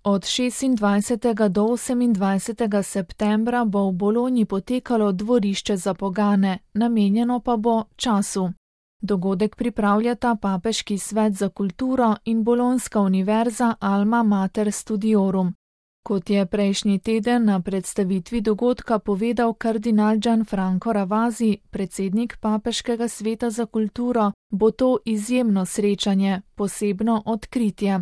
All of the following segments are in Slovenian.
Od 26. do 28. septembra bo v Bologni potekalo dvorišče za pogane, namenjeno pa bo času. Dogodek pripravljata Papeški svet za kulturo in Bolonska univerza Alma Mater Studiorum. Kot je prejšnji teden na predstavitvi dogodka povedal kardinal Gianfranco Ravasi, predsednik Papeškega sveta za kulturo, bo to izjemno srečanje, posebno odkritje.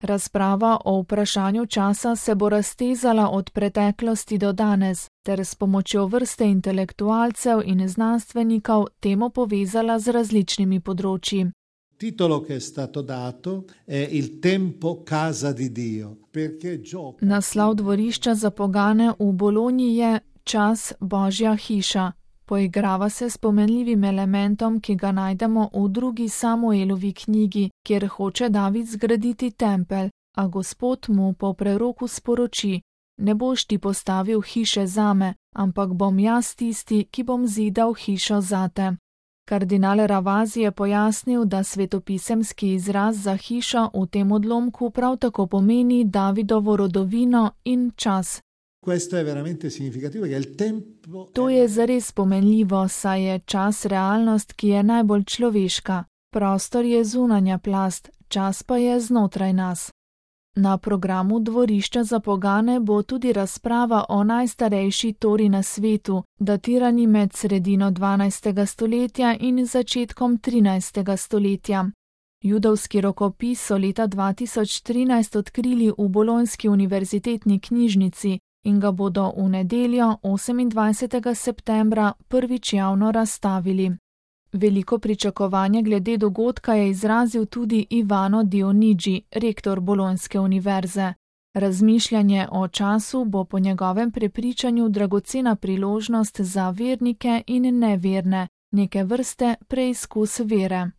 Razprava o vprašanju časa se bo raztezala od preteklosti do danes, ter s pomočjo vrste intelektualcev in znanstvenikov temo povezala z različnimi področji. Titolo che è stato dato è Il tempo casa di Dio, perché gioca. Naslov dvorišča za pogane v Bologni je Čas Božja hiša. Poigrava se s pomenljivim elementom, ki ga najdemo v drugi Samuelovi knjigi, kjer hoče David zgraditi tempelj, a Gospod mu po preroku sporoči: ne boš ti postavil hiše zame, ampak bom jaz tisti, ki bom zidal hišo zate. Kardinal Ravasi je pojasnil, da svetopisemski izraz za hišo v tem odlomku prav tako pomeni Davidovo rodovino in čas. Questo è veramente significativo, che il tempo. To je zares pomenljivo, saj je čas realnost, ki je najbolj človeška. Prostor je zunanja plast, čas pa je znotraj nas. Na programu dvorišča za pogane bo tudi razprava o najstarejši tori na svetu, datirani med sredino 12. stoletja in začetkom 13. stoletja. Judovski rokopis so leta 2013 odkrili v Bolonski univerzitetni knjižnici in ga bodo v nedeljo 28. septembra prvič javno razstavili. Veliko pričakovanje glede dogodka je izrazil tudi Ivano Dionigi, rektor Bolonske univerze. Razmišljanje o času bo po njegovem prepričanju dragocena priložnost za vernike in neverne, neke vrste preizkus vere.